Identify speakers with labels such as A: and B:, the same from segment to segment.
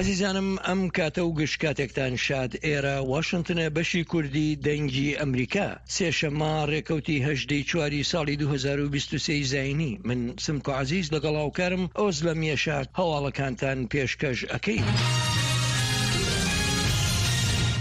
A: ئازیزانم ئەم کاتە و گشت کاتێکتان شاد ئێرە واشنتنە بەشی کوردی دەنگی ئەمریکا سێشەممە ڕێکەوتی هەژدەی چواری ساڵی 2023 زینی من سمکۆ عزیز لەگەڵ هاوکارم ئۆزلەم یەشار هەواڵەکانتان پێشکەش ئەکەین.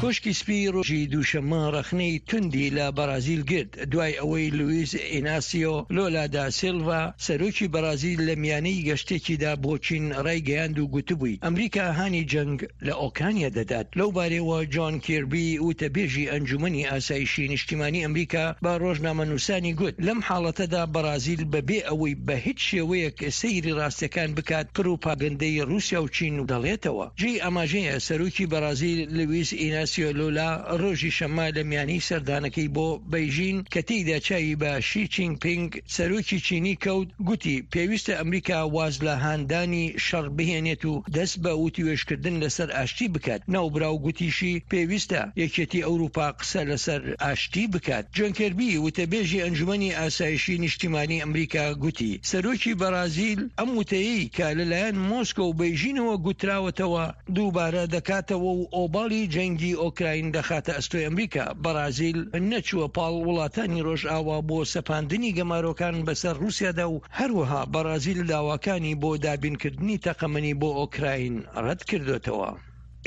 A: کۆشکی سپی ڕۆژی دووشەممە ڕەخنەی توندی لە بەرازیل گرت دوای ئەوەی لویس ئیناسیۆ لۆلا دا سیلڤا سەرۆکی بەرازیل لە میانەی گەشتێکیدا بۆ چین ڕایگەیاند و گوتبووی ئەمریکا هانی جەنگ لە ئۆکرانیا دەدات. لەو بارەیەوە جۆن کیربی وتەبێژی ئەنجومەنی ئاسایشی نیشتیمانی ئەمریکا بە ڕۆژنامەنووسانی گوت لەم حاڵەتەدا بەرازیل بەبێ ئەوەی بە هیچ شێوەیەک سەیری ڕاستیەکان بکات پڕوپاگەندەی ڕووسیا و چین دەڵێتەوە. جێی ئاماژەیە سەرۆکی بەرازیل لویس ئیناسیۆ لولا ڕۆژی شەممە لە میانەی سەردانەکەی بۆ بەیژین کە تێیدا چاوی بە شی چینگ پینگ سەرۆکی چینی کەوت گوتی پێویستە ئەمریکا واز لە هاندانی شەڕ بهێنێت و دەست بە وتوێژکردن لەسەر ئاشتی بکات. ناوبراو گوتیشی پێویستە یەکێتی ئەوروپا قسە لەسەر ئاشتی بکات. جۆن کێربی وتەبێژی ئەنجومەنی ئاسایشی نیشتیمانی ئەمریکا گوتی سەرۆکی بەرازیل ئەم وتەیەی کە لەلایەن مۆسکۆ و بەیژینەوە گوتراوەتەوە دووبارە دەکاتەوە و ئۆباڵی جەنگی ئۆکراین دەخاتە ئەستۆی ئەمریکا. بەرازیل نەچووە پاڵ وڵاتانی ڕۆژئاوا بۆ سەپاندنی گەمارۆکان بەسەر ڕووسیادا و هەروەها بەرازیل داواکانی بۆ دابینکردنی تەقەمەنی بۆ ئۆکراین ڕەتکردۆتەوە.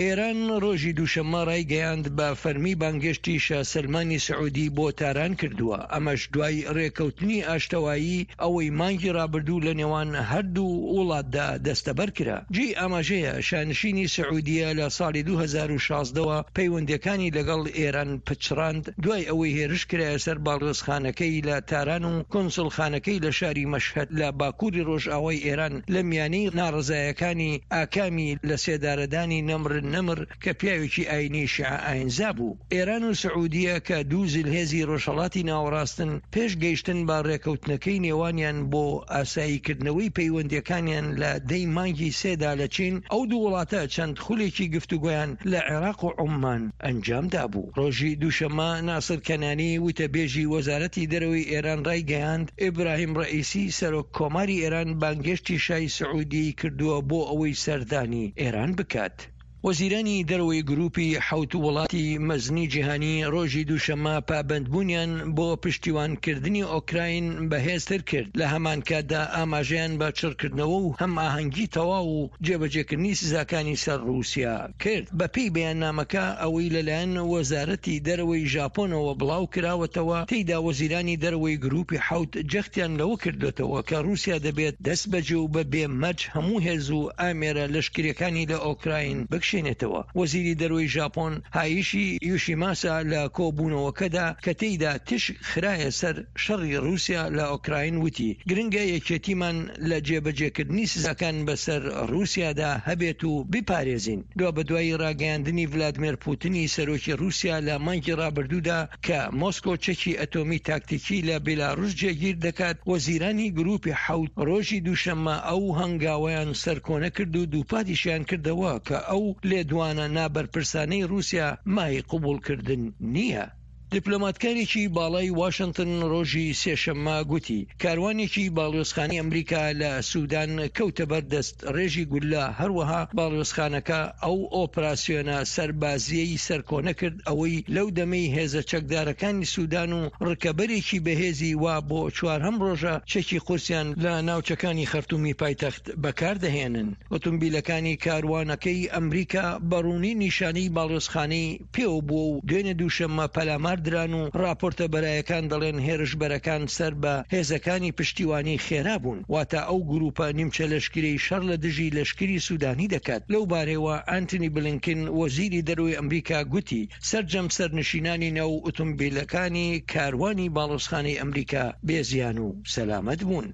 A: ئێران ڕۆژی دووشەممە ڕایگەیاند بە فەرمی بانگێشتی شا سەلمانی سعودی بۆ تاران کردووە، ئەمەش دوای ڕێککەوتنی ئاشتەوایی ئەوەی مانگی ڕابردوو لە نێوان هەردوو وڵاتدا دەستەبەر کرا. جێی ئاماژەیە شانشینی سعودیە لە ساڵی 2016 وە پەیوەندییەکانی لەگەڵ ئێران پچڕاند دوای ئەوەی هێرش کرایە سەر باڵیۆزخانەکەی لە تاران و کونسوڵخانەکەی لە شاری مەشهەد لە باکووری ڕۆژئاوای ئێران لە میانەی ناڕەزایەکانی ئاکامی لەسێدارەدانی نەمر نەمر کە پیاوێکی ئاینی شیعە ئاینزا بوو. ئێران و سعودیە کە دوو زلهێزی ڕۆژهەڵاتی ناوەڕاستن، پێش گەیشتن بە ڕێکەوتنەکەی نێوانیان بۆ ئاساییکردنەوەی پەیوەندییەکانیان لە دەی مانگی سێدا لە چین، ئەو دوو وڵاتە چەند خولێکی گفتوگۆیان لە عێراق و عوممان ئەنجام دابوو. ڕۆژی دووشەممە ناسر کەنانی وتەبێژی وەزارەتی دەرەوەی ئێران ڕایگەیاند، ئیبراهیم ڕەئیسی سەرۆک کۆماری ئێران بانگهێشتی شای سعودیەی کردووە بۆ ئەوەی سەردانی ئێران بکات. وەزیرانی دەرەوەی گروپی حەوت وڵاتی مەزنی جیهانی ڕۆژی دووشەممە پابەندبوونیان بۆ پشتیوانکردنی ئۆکراین بەهێزتر کرد، لە هەمانکاتدا ئاماژەیان بە چڕکردنەوە و هەمئاهەنگی تەواو و جێبەجێکردنی سزاکانی سەر ڕووسیا کرد. بەپێی بەیاننامەکە، ئەوەی لەلایەن وەزارەتی دەرەوەی ژاپۆنەوە بڵاوکراوەتەوە، تێیدا وەزیرانی دەرەوەی گروپی حەوت جەختیان لەوە کردۆتەوە کە ڕووسیا دەبێت دەستبەجێ و بە بێ مەرج هەموو هێز و ئامێرە لەشکرییەکانی لە ئۆکراین بکشێنێتەوە. وەزیری دەرەوەی ژاپۆن هایشی یوشیماسا لە کۆبوونەوەکەدا کە تێیدا تیشک خرایە سەر شەڕی ڕووسیا لە ئۆکراین وتی، گرنگە یەکێتیمان لە جێبەجێکردنی سزاکان بەسەر ڕووسیادا هەبێت و بیپارێزین. دوابەدوای ڕاگەیاندنی ڤلادمێر پوتنی سەرۆکی ڕووسیا لە مانگی ڕابردوودا کە مۆسکۆ چەکی ئەتۆمی تاکتیکی لە بیلاڕوس جێگیر دەکات، وەزیرانی گروپی حەوت ڕۆژی دووشەممە ئەو هەنگاوەیان سەرکۆنە کرد و دووپاتیشیان کردەوە کە ئەو لێدوانە نابەرپرسانەی ڕووسیا مایەی قبوڵکردن نییە. دیپلۆماتکارێکی باڵای واشنتن ڕۆژی سێشەممە گوتی کاروانێکی باڵیۆزخانەی ئەمریکا لە سودان کەوتە بەر دەستڕێژی گوللە، هەروەها باڵیۆزخانەکە ئەو ئۆپراسیۆنە سەربازییەی سەرکۆنە کرد ئەوەی لەو دەمەی هێزە چەکدارەکانی سودان و ڕکەبەرێکی بەهێزی وا بۆ چوارهەم ڕۆژە چەکی قورسیان لە ناوچەکانی خەرتومی پایتەخت بەکاردەهێنن. ئۆتۆمبیلەکانی کاروانەکەی ئەمریکا بە ڕوونی نیشانەی باڵیۆزخانەی پێوە بووە و دوێنێ دووشەممە پەلامار دران و ڕاپۆرتە بەرایەکان دەڵێن هێرشبەرەکان سەر بە هێزەکانی پشتیوانی خێرا بوون، واتە ئەو گرووپە نیمچە لەشکرەی شەڕ لە دژی لەشکری سوودانی دەکات. لەو بارەیەوە ئانتنی بلینکن وەزیری دەرەوەی ئەمریکا گوتی، سەرجەم سەرنشینانی ناو ئوتومبیلەکانی کاروانی باڵۆزخانەی ئەمریکا بێ زیان و سەلامەت بوون.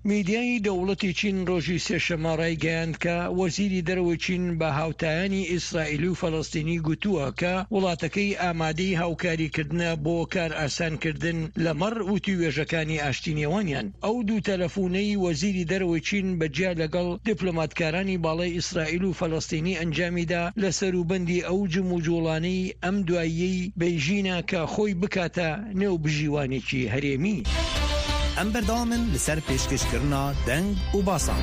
A: میدیای دەوڵەتی چین ڕۆژی سێشەممە ڕایگەیاند کە وەزیری دەرەوەی چین بە هاوتایانی ئیسرائیلی و فەلەستینی گوتووە کە وڵاتەکەی ئامادەی هاوکاریکردنە بۆ کارئاسانکردن لەمەڕ وتووێژەکانی ئاشتی نێوانیان. ئەو دوو تەلەفونەی وەزیری دەرەوەی چین بە جیا لەگەڵ دیپلۆماتکارانی باڵای ئیسرائیل و فەلەستینی ئەنجامیدا لە سەروبەندی ئەو جموجوڵانەی ئەم دواییەی بەیژینە کە خۆی بکاتە نێوبژیوانێکی هەرێمی.
B: ئەم بەردەوامن لەسەر پێشکەشکردنا دەنگ و باسان.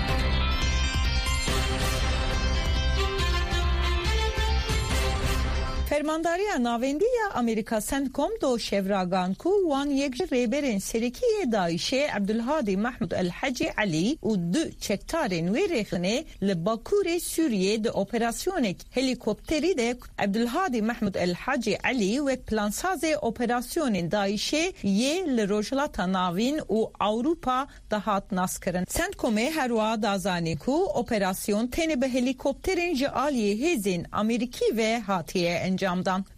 C: Fermandariya Navendî ya Amerîka Centcom do şev ragihand ku wan yek ji rêberên serekî yê DAIŞ'ê Ebdulhadî Mehmûd El Hecî Elî û du çekdarên wê rêxistinê li Bakurê Sûriyê di operasyonek helîkopterî de Ebdulhadî Mehmûd El Hacî Elî wek plansazê operasyonên DAIŞ'ê yê li Rojhilata Navîn û Ewropa dihat naskirin. Centcomê her wiha da zanîn ku operasyon tenê bi helîkopterên ji aliyê hêzên Amerîkî ve hatiye encamdan.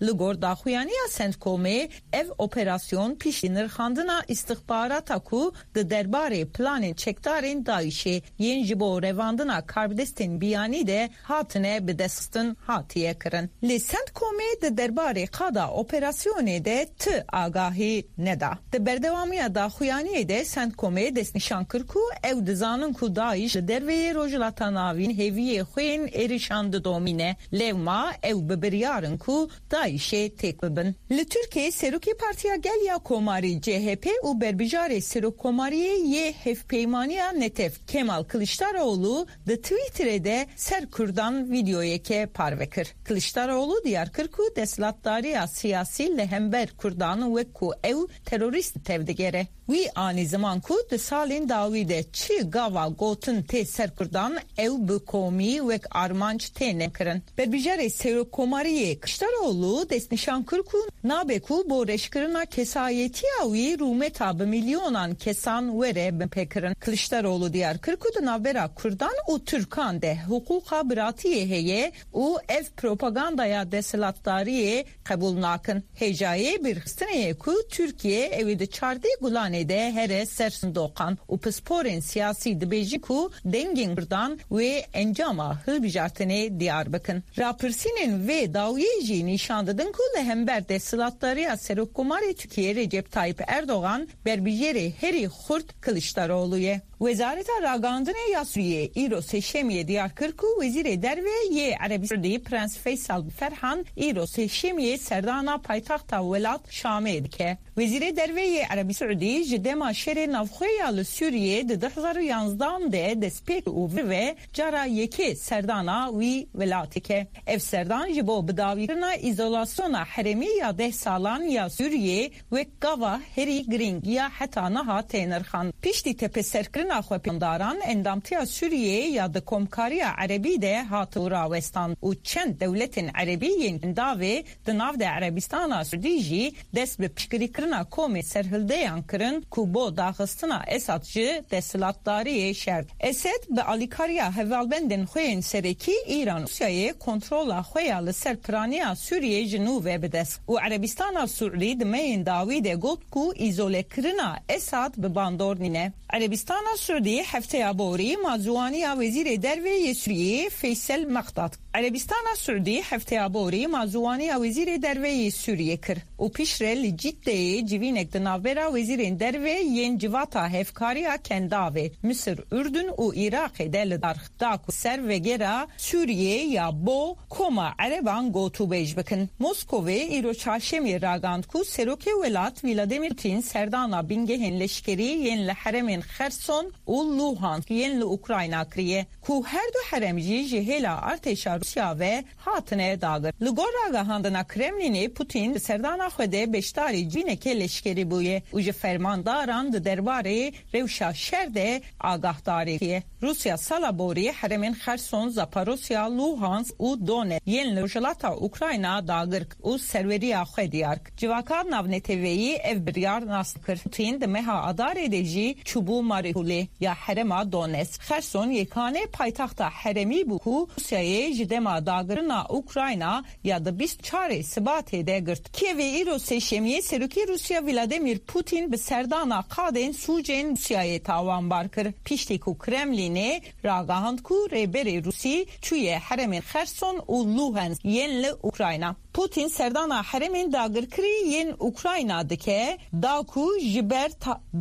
C: Li gor daxuyaniya Centcomê ev operasyon piştî nirxandina îstixbarata ku di derbarê planên çekdarên DAIŞ'ê yên ji bo revandina karbidestên biyanî de hatine bidestxistin hatiye kirin. Lê Centcomê di derbarê qada operasyonê de ti agahî neda. Di berdewamiya daxuyaniyê de Centcomê destnîşan kir ku ew dizanin ku DAIŞ li derveyê Rojhilata Navîn hêviyê xwe yên êrişan didomîne, lewma ew bi biryar in ku DAIŞ'ê têk bibin. Li Tirkiyeyê Serokê Partiya Gel ya Komarî, CHP, û berbijarê Serokkomariyê yê Hevpeymaniya Netev Kemal Kiliçdaroglu di Twitterê de ser Kurdan vîdeoyeke parve kir. Kiliçdaroglu diyar kir ku desthilatdariya siyasî li hember Kurdan wek ku ew terorîst tevdigere. Wî anî ziman ku di salên dawî de çi gava gotin tê ser Kurdan ew bi komî wek armanc têne kirin. Berbijarê Serokkomariyê Kiliçdaroglu destnîşan kir ku nabe ku bo reşkirina kesayetiya wî rûmeta bi milyonan kesan were binpêkirin. Kiliçdaroglu diyar kir ku di navbera Kurdan û Tirkan de hiqûqa biratiyê heye û ev propagandaya desthilatdariyê qebûl nakin. Hêjayê bîrxistinê ye ku Tirkiye ew ê di çardeh Gulanê de here ser sindoqan û pisporên siyasî dibêjin ku dengên Kurdan wê encama hilbijartinê diyar bikin. Rapirsînên vê dawiyê jî nîşan didin ku li hember desthilatdariya Serokkomarê Tirkiyê Recep Tayyip Erdogan berbijêrê herî xurt Kiliçdaroglu ye. Wezareta Ragihandinê ya Sûriyê îro Sêşemiyê diyar kir ku Wezîrê Derve yê Erebî Siûdî Prens Feysal Ferhan îro Sêşemiyê serdana paytexta welat Şamê dike. Wezîrê Derve yê Erebî Siûdî ji dema şerê navxwe ya li Sûriyê di 2011 an de destpêk û vir ve cara yekê serdana wî welatî dike. Ev serdan ji bo bidawîkirina îzolasyona herêmî ya deh salan ya Sûriyê Wek gava herî girîng ya heta niha tê nirxandin. Piştî tepeserkirina xwepêşandaran, endamtiya Sûriyeyê ya di Komkariya Erebî de hatibû rawestandin û çend dewletên erebî yên kendavê di nav de Erebistana Siûdî jî dest bi piştgirîkirina komên serhildeyan kirin ku bo daxistina Esad ji desthilatdariyê şer Esed bi alîkariya hevalbendên xwe yên serekî Îran û Rûsyayê kontrola xwe ya li ser piraniya Sûriyê ji nû ve bi dest û Erebistana Siûdî di meyên dawî de got ku îzolekirina Esad bi bandor nîne. Erebistana Siûdî hefteya borî mazuwaniya Wezîrê Derve yê Sûriyê Feysel Meqdad Erebistana Siûdî hefteya borî mazuwaniya Wezîrê Derve yê Sûriyê kir û piştre li Ciddeyê civînek di navbera wezîrên derve yên Civata Hevkariya Kendavê, Misir, Urdun û Iraqê de li dar da ku ser vegera Sûriyê ya bo Koma Ereban gotûbêj bikin. Moskovê îro çarşemiyê ragihand ku Serokê welat Vladimir Putin serdana bingehên leşkerî yên li herêmên Xerson û Luhansk yên li Ukrayna kiriye ku her du herêm jî ji hêla artêşa Rûsya ve hatine dagir. Li gor ragihandina Kremlînê Putin di serdana xwe de beşdarî civîneke leşkerî bûye û ji fermandaran di derbarê rewşa şer de agahdarî kiriye. Rûsya sala borî herêmên Xerson, Zaporosya, Luhansk û Donetsk yên li rojhilata Ukrayna dagir kir û serweriya xwe diyar kir. Civaka navneteweyî ev biryar nas kir. Putin di meha Adarê de jî çûbû Mariupolê ya herêma Donetsk. Xerson yekane paytexta herêmî bû ku Rûsyayê ji dema dagirina Ukrayna ya di 24 ê Sibatê de girt. Kievê îro Sêşemiyê Serokê Rûsya Vladimir Putin bi serdana qadên sûcên Rûsyayê tawanbar kir. Piştî ku Kremlînê ragihand ku rêberê Rûsî çûye herêmên Xerson û Luhansk yên li Ukrayna. Putin serdana herêmên dagirkirî yên Ukrayna dike da ku ji ber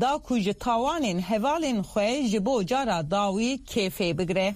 C: da ku ji tawanên hevalên xwe ji bo cara dawî kêfê bigire.